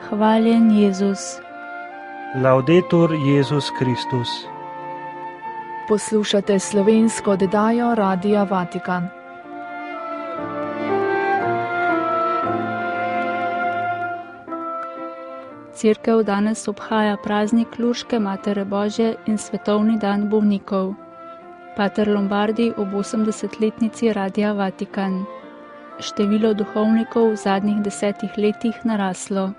Hvaljen Jezus. Laudetur Jezus Kristus. Poslušate slovensko oddajo Radia Vatikan. Cerkev danes obhaja praznik Lurške Matere Božje in svetovni dan bolnikov. Pater Lombardi ob 80-letnici Radia Vatikan. Število duhovnikov v zadnjih 10 letih naraslo.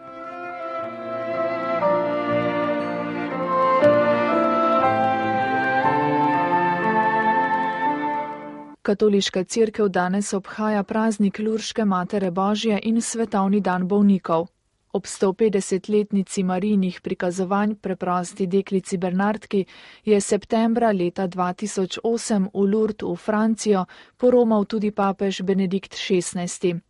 Katoliška cerkev danes obhaja praznik Lurške Matere Božje in svetovni dan bolnikov. Ob 150-letnici Marijinih prikazovanj preprosti deklici Bernardki je septembra leta 2008 v Lourdes v Francijo poromal tudi papež Benedikt XVI.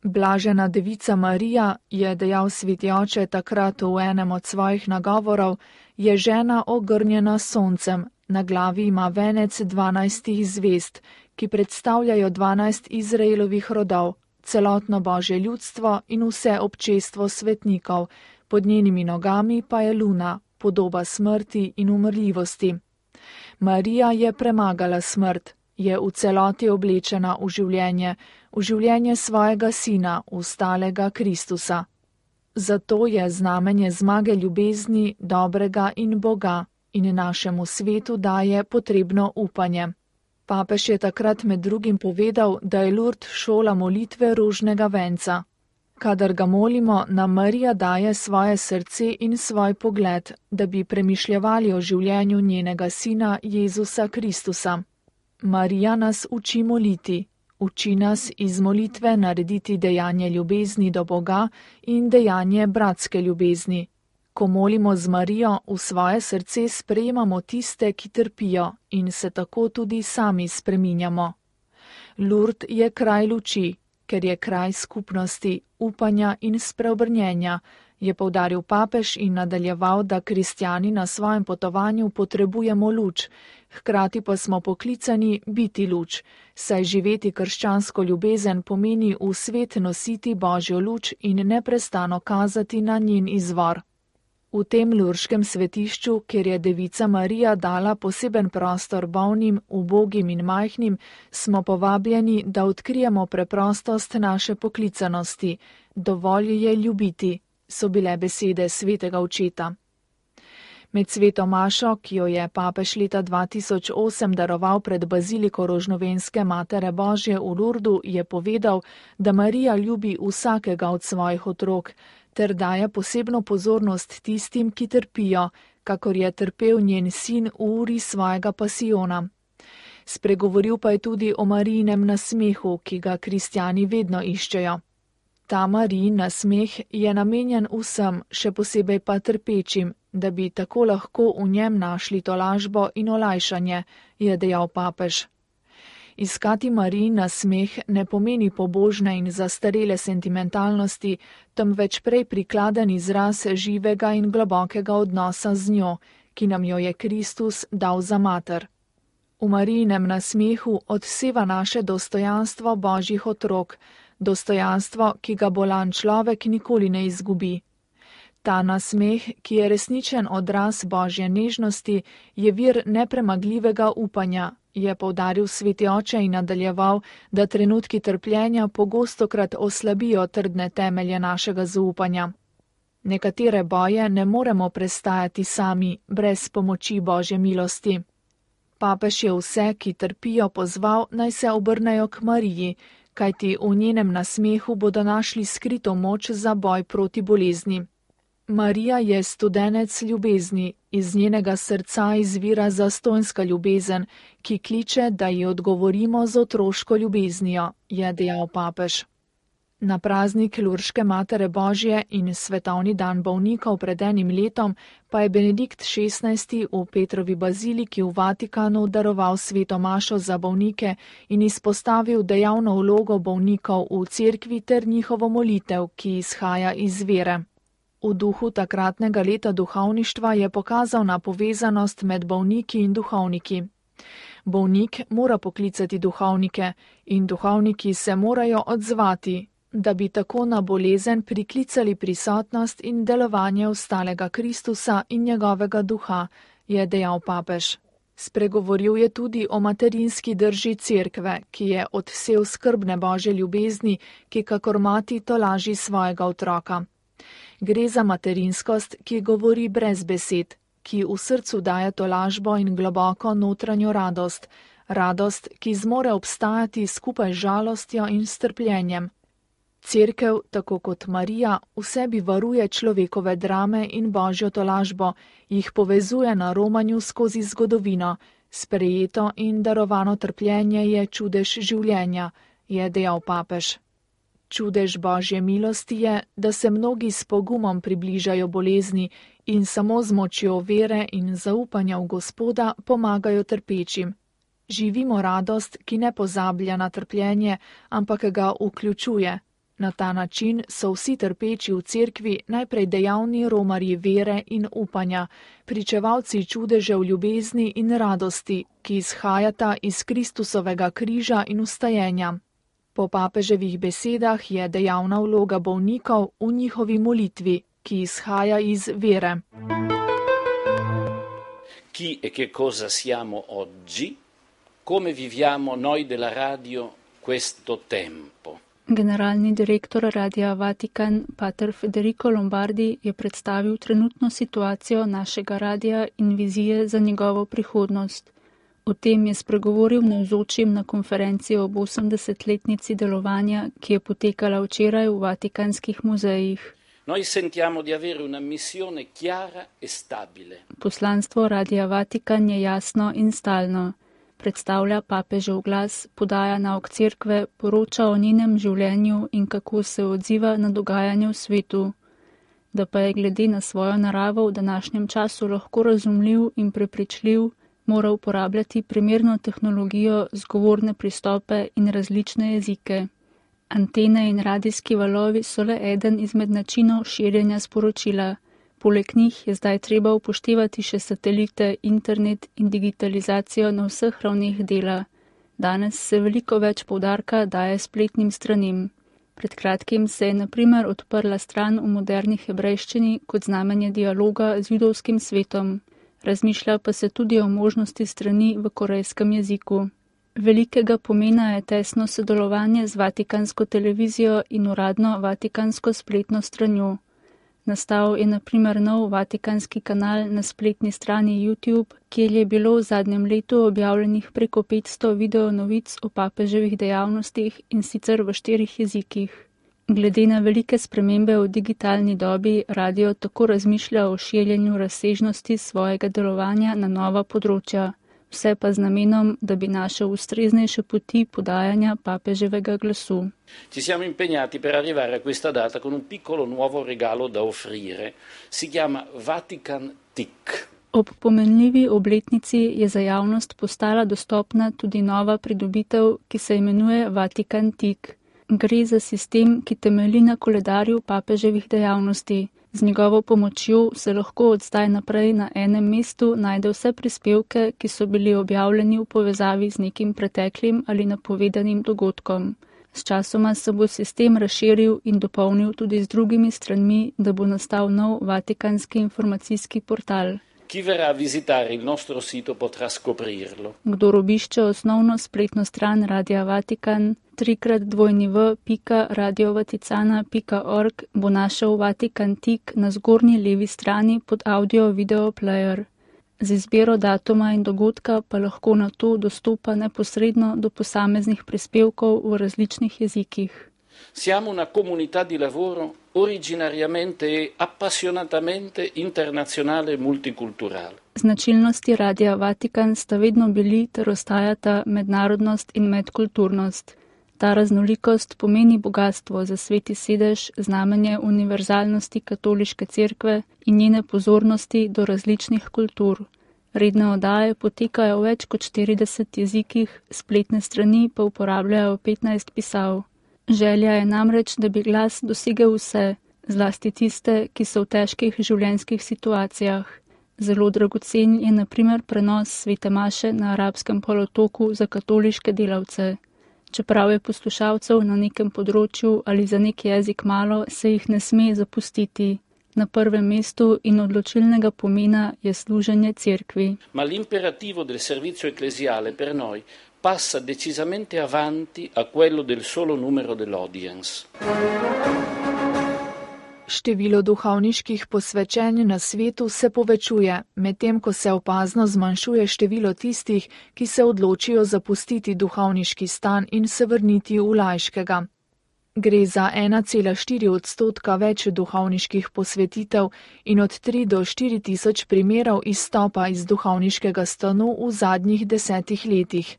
Blažena devica Marija, je dejal sveti oče takrat v enem od svojih nagovorov, je žena ogrnjena s soncem, na glavi ima venec 12 zvezd, ki predstavljajo 12 Izraelovih rodov, celotno Božje ljudstvo in vse občestvo svetnikov, pod njenimi nogami pa je luna, podoba smrti in umrljivosti. Marija je premagala smrt, je v celoti oblečena v življenje svojega sina, ustalega Kristusa. Zato je znamenje zmage ljubezni, dobrega in Boga in našemu svetu daje potrebno upanje. Papež je takrat med drugim povedal, da je Lourdes šola molitve rožnega venca. Kadar ga molimo, nam Marija daje svoje srce in svoj pogled, da bi premišljevali o življenju njenega sina Jezusa Kristusa. Marija nas uči moliti, uči nas iz molitve narediti dejanje ljubezni do Boga in dejanje bratske ljubezni. Ko molimo z Marijo, v svoje srce sprejemamo tiste, ki trpijo in se tako tudi sami spreminjamo. Lourdes je kraj luči, ker je kraj skupnosti, upanja in spreobrnjenja, je poudaril papež in nadaljeval, da kristjani na svojem potovanju potrebujemo luč, hkrati pa smo poklicani biti luč, saj živeti krščansko ljubezen pomeni v svet nositi Božjo luč in neprestano kazati na njen izvor. V tem lurškem svetišču, kjer je devica Marija dala poseben prostor bolnim, ubogim in majhnim, smo povabljeni, da odkrijemo preprostost naše poklicanosti. Dovolj je ljubiti, so bile besede svetega očeta. Med sveto mašo, ki jo je papež leta 2008 daroval pred baziliko Rožnovenske Matere Božje v Lourdu, je povedal, da Marija ljubi vsakega od svojih otrok, ter daje posebno pozornost tistim, ki trpijo, kakor je trpel njen sin v uri svojega pasijona. Spregovoril pa je tudi o Marijinem nasmehu, ki ga kristjani vedno iščejo. Ta Marijin nasmeh je namenjen vsem, še posebej pa trpečim, da bi tako lahko v njem našli tolažbo in olajšanje, je dejal papež. Iskati Marijin nasmeh ne pomeni pobožne in zastarele sentimentalnosti, temveč prej prikladen izraz živega in globokega odnosa z njo, ki nam jo je Kristus dal za mater. V Marijinem nasmehu odseva naše dostojanstvo Božjih otrok, dostojanstvo, ki ga bolan človek nikoli ne izgubi. Ta nasmeh, ki je resničen odraz Božje nežnosti, je vir nepremagljivega upanja, je poudaril sveti oče in nadaljeval, da trenutki trpljenja pogostokrat oslabijo trdne temelje našega zaupanja. Nekatere boje ne moremo prestajati sami, brez pomoči Božje milosti. Papež je vse, ki trpijo, pozval, naj se obrnejo k Mariji, kajti v njenem nasmehu bodo našli skrito moč za boj proti bolezni. Marija je studenec ljubezni, iz njenega srca izvira zastonjska ljubezen, ki kliče, da ji odgovorimo z otroško ljubeznijo, je dejal papež. Na praznik Lurške Matere Božje in svetovni dan bolnikov pred enim letom pa je Benedikt XVI v Petrovi baziliki v Vatikanu daroval sveto mašo za bolnike in izpostavil dejavno vlogo bolnikov v cerkvi ter njihovo molitev, ki izhaja iz vere. V duhu takratnega leta duhovništva je pokazal na povezanost med bolniki in duhovniki. Bolnik mora poklicati duhovnike in duhovniki se morajo odzvati, da bi tako na bolezen priklicali prisotnost in delovanje ostalega Kristusa in njegovega duha, je dejal papež. Spregovoril je tudi o materinski drži cerkve, ki je odsev skrbne Božje ljubezni, ki kakor mati tolaži svojega otroka. Gre za materinskost, ki govori brez besed, ki v srcu daje tolažbo in globoko notranjo radost, radost, ki zmore obstajati skupaj z žalostjo in strpljenjem. Cerkev, tako kot Marija, v sebi varuje človekove drame in Božjo tolažbo, jih povezuje na romanju skozi zgodovino, sprejeto in darovano trpljenje je čudež življenja, je dejal papež. Čudež Božje milosti je, da se mnogi s pogumom približajo bolezni in samo z močjo vere in zaupanja v Gospoda pomagajo trpečim. Živimo radost, ki ne pozablja na trpljenje, ampak ga vključuje. Na ta način so vsi trpeči v cerkvi najprej dejavni romarji vere in upanja, pričevalci čudežev ljubezni in radosti, ki izhajata iz Kristusovega križa in vstajenja. Po papeževih besedah je dejavna vloga bolnikov v njihovi molitvi, ki izhaja iz vere. Chi e che cosa siamo oggi? Come viviamo noi della radio questo tempo? Generalni direktor Radia Vatikan, pater Federico Lombardi, je predstavil trenutno situacijo našega radia in vizije za njegovo prihodnost. O tem je spregovoril navzočim na konferenci ob 80-letnici delovanja, ki je potekala včeraj v vatikanskih muzejih. Noi sentiamo di avere una missione chiara e stabile. Poslanstvo Radia Vatikan je jasno in stalno. Predstavlja papežev glas, podaja nauk cerkve, poroča o njenem življenju in kako se odziva na dogajanje v svetu. Da pa je glede na svojo naravo v današnjem času lahko razumljiv in prepričljiv, mora uporabljati primerno tehnologijo, zgovorne pristope in različne jezike. Antene in radijski valovi so le eden izmed načinov širjenja sporočila. Poleg njih je zdaj treba upoštevati še satelite, internet in digitalizacijo na vseh ravneh dela. Danes se veliko več poudarka daje spletnim stranim. Pred kratkim se je na primer odprla stran v moderni hebrejščini kot znamenje dialoga z judovskim svetom. Razmišlja pa se tudi o možnosti strani v korejskem jeziku. Velikega pomena je tesno sodelovanje z vatikansko televizijo in uradno vatikansko spletno stranjo. Nastal je na primer nov vatikanski kanal na spletni strani YouTube, kjer je bilo v zadnjem letu objavljenih preko 500 video novic o papeževih dejavnostih in sicer v 4 jezikih. Glede na velike spremembe v digitalni dobi, radio tako razmišlja o širjenju razsežnosti svojega delovanja na nova področja, vse pa z namenom, da bi našel ustreznejše poti podajanja papeževega glasu. Ci siamo impegnati per arrivare a questa data con un piccolo nuovo regalo da offrire. Si chiama Vatican TIC. Ob pomenljivi obletnici je za javnost postala dostopna tudi nova pridobitev, ki se imenuje Vatican TIC. Gre za sistem, ki temelji na koledarju papeževih dejavnosti. Z njegovo pomočjo se lahko od zdaj naprej na enem mestu najde vse prispevke, ki so bili objavljeni v povezavi z nekim preteklim ali napovedanim dogodkom. Sčasoma se bo sistem razširil in dopolnil tudi z drugimi stranmi, da bo nastal nov vatikanski informacijski portal. Chi verrà a visitare il nostro sito potrà scoprirlo. Kdor obišče osnovno spletno stran Radia Vatikan, www.radiovaticana.org, bo našel Vatikan TIC na zgornji levi strani pod audio-video player. Z izbiro datuma in dogodka pa lahko na to dostopa neposredno do posameznih prispevkov v različnih jezikih. Siamo una comunità di lavoro originariamente e appassionatamente internazionale e multiculturale. Značilnosti Radia Vatikan sta vedno bili ter ostajata mednarodnost in medkulturnost. Ta raznolikost pomeni bogatstvo za Sveti sedež, znamenje univerzalnosti katoliške cerkve in njene pozornosti do različnih kultur. Redne oddaje potekajo v več kot 40 jezikih, spletne strani pa uporabljajo 15 pisav. Želja je namreč, da bi glas dosegel vse, zlasti tiste, ki so v težkih življenjskih situacijah. Zelo dragocen je na primer prenos svete maše na arabskem polotoku za katoliške delavce. Čeprav je poslušalcev na nekem področju ali za nek jezik malo, se jih ne sme zapustiti. Na prvem mestu in odločilnega pomena je služenje cerkvi. Ma l'imperativo del servizio ecclesiale per noi passa decisamente avanti a quello del solo numero dell'audience. Število duhovniških posvečenj na svetu se povečuje, medtem ko se opazno zmanjšuje število tistih, ki se odločijo zapustiti duhovniški stan in se vrniti v laiškega. Gre za 1,4% več duhovniških posvetitev in od 3 do 4 tisoč primerov izstopa iz duhovniškega stanu v zadnjih 10 letih.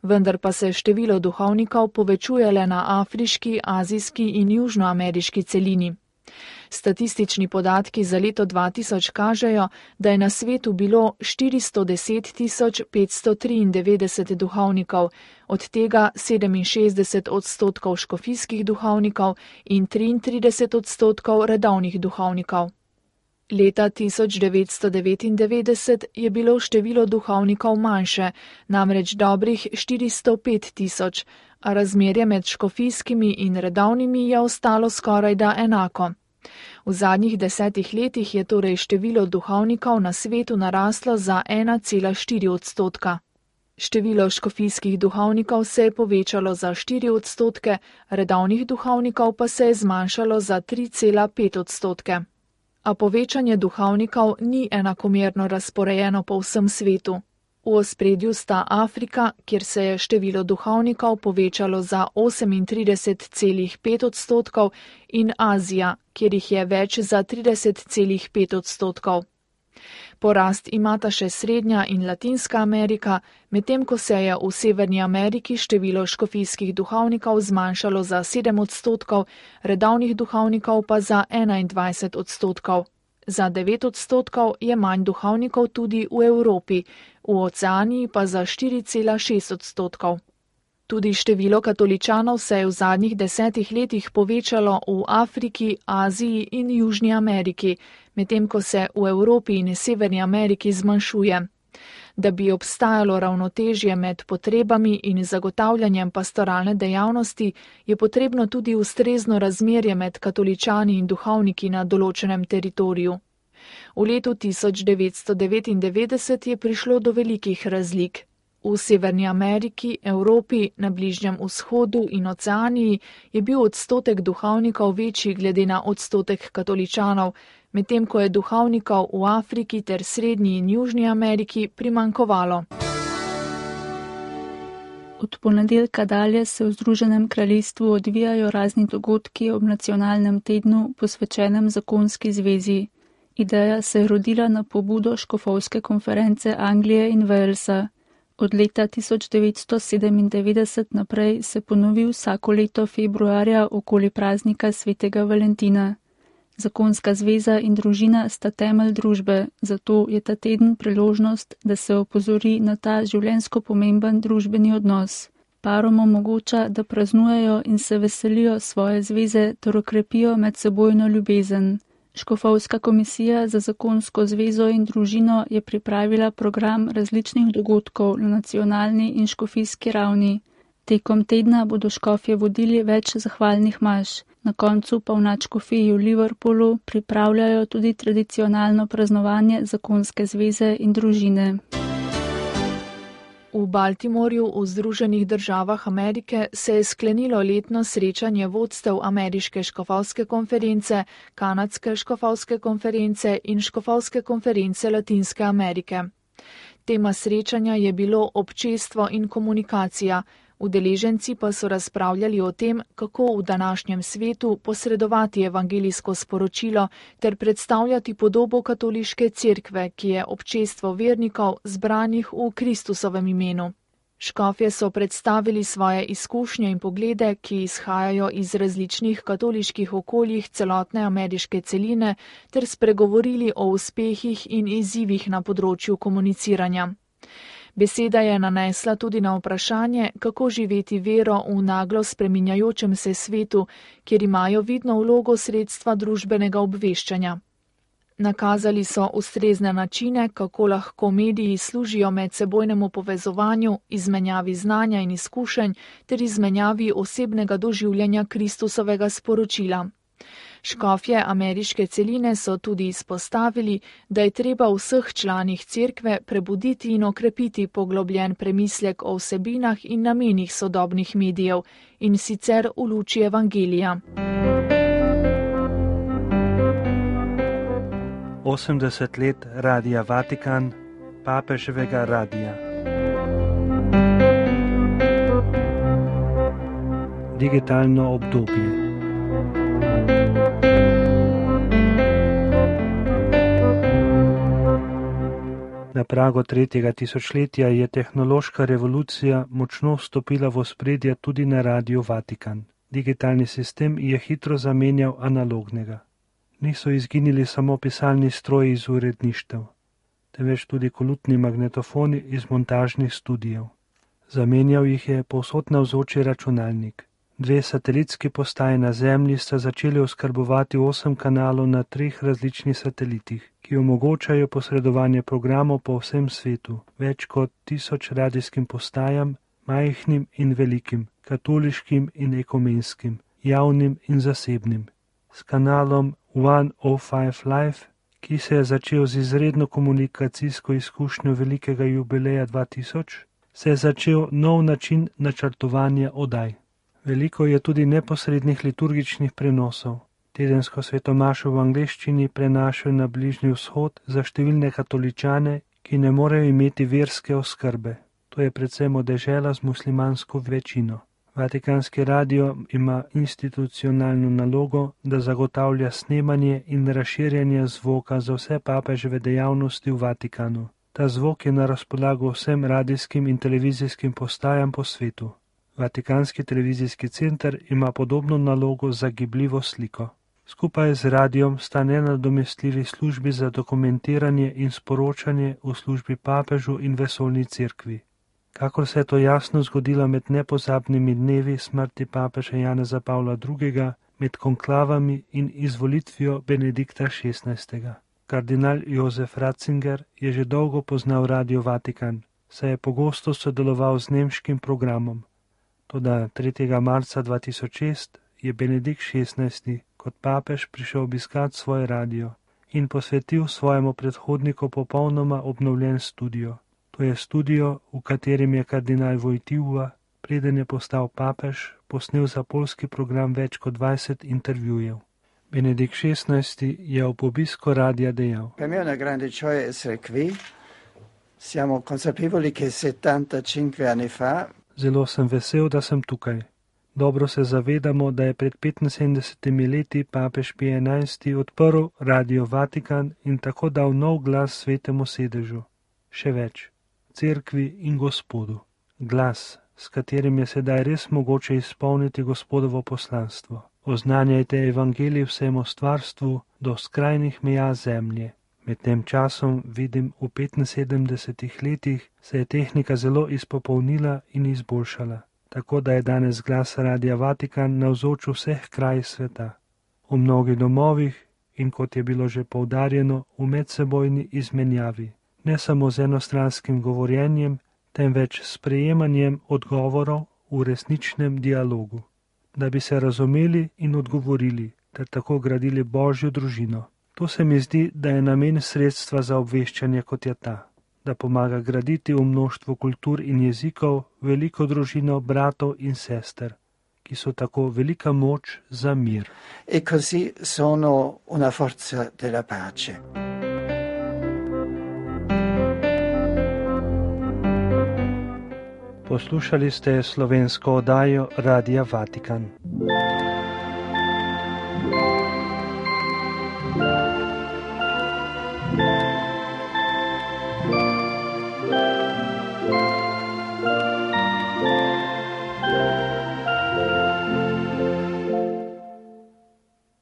Vendar pa se število duhovnikov povečuje le na afriški, azijski in južnoameriški celini. Statistični podatki za leto 2000 kažejo, da je na svetu bilo 410 593 duhovnikov, od tega 67% škofijskih duhovnikov in 33% redovnih duhovnikov. Leta 1999 je bilo število duhovnikov manjše, namreč dobrih 405 000, a razmerje med škofijskimi in redovnimi je ostalo skorajda enako. V zadnjih 10 letih je torej število duhovnikov na svetu naraslo za 1,4%. Število škofijskih duhovnikov se je povečalo za 4%, redovnih duhovnikov pa se je zmanjšalo za 3,5%. A povečanje duhovnikov ni enakomerno razporejeno po vsem svetu. V ospredju sta Afrika, kjer se je število duhovnikov povečalo za 38,5%, in Azija, kjer jih je več za 30,5%. Porast imata še Srednja in Latinska Amerika, medtem ko se je v Severni Ameriki število škofijskih duhovnikov zmanjšalo za 7%, redovnih duhovnikov pa za 21%. Za 9% je manj duhovnikov tudi v Evropi, v Oceaniji pa za 4,6%. Tudi število katoličanov se je v zadnjih 10 letih povečalo v Afriki, Aziji in Južni Ameriki, medtem ko se v Evropi in Severni Ameriki zmanjšuje. Da bi obstajalo ravnotežje med potrebami in zagotavljanjem pastoralne dejavnosti, je potrebno tudi ustrezno razmerje med katoličani in duhovniki na določenem teritoriju. V letu 1999 je prišlo do velikih razlik. V Severni Ameriki, Evropi, na Bližnjem vzhodu in Oceaniji je bil odstotek duhovnikov večji glede na odstotek katoličanov, medtem ko je duhovnikov v Afriki ter Srednji in Južni Ameriki primanjkovalo. Od ponedeljka dalje se v Združenem kraljestvu odvijajo razni dogodki ob nacionalnem tednu posvečenem zakonski zvezi. Ideja se je rodila na pobudo škofovske konference Anglije in Walesa. Od leta 1997 naprej se ponovi vsako leto februarja okoli praznika svetega Valentina. Zakonska zveza in družina sta temelj družbe, zato je ta teden priložnost, da se opozori na ta življenjsko pomemben družbeni odnos. Parom omogoča, da praznujejo in se veselijo svoje zveze ter okrepijo medsebojno ljubezen. Škofovska komisija za zakonsko zvezo in družino je pripravila program različnih dogodkov na nacionalni in škofijski ravni. Tekom tedna bodo škofje vodili več zahvalnih maš. Na koncu pa v nadškofiji v Liverpoolu pripravljajo tudi tradicionalno praznovanje zakonske zveze in družine. V Baltimorju v Združenih državah Amerike se je sklenilo letno srečanje vodstev Ameriške škofovske konference, Kanadske škofovske konference in Škofovske konference Latinske Amerike. Tema srečanja je bilo občestvo in komunikacija. Udeleženci pa so razpravljali o tem, kako v današnjem svetu posredovati evangelijsko sporočilo ter predstavljati podobo katoliške cerkve, ki je občestvo vernikov zbranih v Kristusovem imenu. Škofje so predstavili svoje izkušnje in poglede, ki izhajajo iz različnih katoliških okoljih celotne ameriške celine, ter spregovorili o uspehih in izzivih na področju komuniciranja. Beseda je nanesla tudi na vprašanje, kako živeti vero v naglo spreminjajočem se svetu, kjer imajo vidno vlogo sredstva družbenega obveščanja. Nakazali so ustrezne načine, kako lahko mediji služijo medsebojnemu povezovanju, izmenjavi znanja in izkušenj ter izmenjavi osebnega doživljanja Kristusovega sporočila. Škofje ameriške celine so tudi izpostavili, da je treba vseh članih cerkve prebuditi in okrepiti poglobljen premislek o vsebinah in namenih sodobnih medijev, in sicer v luči evangelija. 80 let Radia Vatikan, papeževega radija. Digitalno obdobje. Na pragu 3. tisočletja je tehnološka revolucija močno vstopila v ospredje tudi na Radiu Vatikan. Digitalni sistem je hitro zamenjal analognega. Niso izginili samo pisalni stroji iz uredništev, temveč tudi kolutni magnetofoni iz montažnih studijev. Zamenjal jih je povsod navzoči računalnik. 2 satelitski postaji na Zemlji sta začeli oskrbovati 8 kanalov na 3 različnih satelitih, ki omogočajo posredovanje programov po vsem svetu, več kot 1000 radijskim postajam, majhnim in velikim, katoliškim in ekumenskim, javnim in zasebnim. S kanalom 105 Live, ki se je začel z izredno komunikacijsko izkušnjo velikega jubileja 2000, se je začel nov način načrtovanja oddaj. Veliko je tudi neposrednih liturgičnih prenosov. Tedensko svetomašo v angleščini prenašajo na Bližnji vzhod za številne katoličane, ki ne morejo imeti verske oskrbe. To je predvsem dežela z muslimansko večino. Vatikanski radio ima institucionalno nalogo, da zagotavlja snemanje in razširjanje zvoka za vse papeževe dejavnosti v Vatikanu. Ta zvok je na razpolago vsem radijskim in televizijskim postajam po svetu. Vatikanski televizijski center ima podobno nalogo za gibljivo sliko. Skupaj z radijom sta nenadomestljivi službi za dokumentiranje in sporočanje v službi papežu in vesoljni cerkvi. Kakor se je to jasno zgodilo med nepozabnimi dnevi smrti papeža Janeza Pavla II., med konklavami in izvolitvijo Benedikta XVI. Kardinal Josef Ratzinger je že dolgo poznal Radio Vatikan, saj je pogosto sodeloval z nemškim programom. Toda 3. marca 2006 je Benedikt XVI kot papež prišel obiskat svoj radio in posvetil svojemu predhodniku popolnoma obnovljen studio. To je studio, v katerem je kardinal Wojtyła, preden je postal papež, posnel za poljski program več kot 20 intervjujev. Benedikt XVI je ob obisku radia dejal: Per me è una grande gioia essere qui. Siamo consapevoli che 75 anni fa Zelo sem vesel, da sem tukaj. Dobro se zavedamo, da je pred 75 leti papež Pij XI odprl Radio Vatikan in tako dal nov glas svetemu sedežu. Še več, cerkvi in Gospodu. Glas, s katerim je sedaj res mogoče izpolniti Gospodovo poslanstvo. Oznanjajte evangelij vsemu stvarstvu do skrajnih meja zemlje. Med tem časom vidim, v 75 letih se je tehnika zelo izpopolnila in izboljšala, tako da je danes glas Radia Vatikan navzoč v vseh krajih sveta, v mnogih domovih in, kot je bilo že poudarjeno, v medsebojni izmenjavi, ne samo z enostranskim govorjenjem, temveč s prejemanjem odgovorov v resničnem dialogu, da bi se razumeli in odgovorili, ter tako gradili Božjo družino. To se mi zdi, da je namen sredstva za obveščanje, kot je ta, da pomaga graditi v mnoštvu kultur in jezikov veliko družino bratov in sester, ki so tako velika moč za mir. e così sono una forza della pace. Poslušali ste slovensko oddajo Radia Vatikan.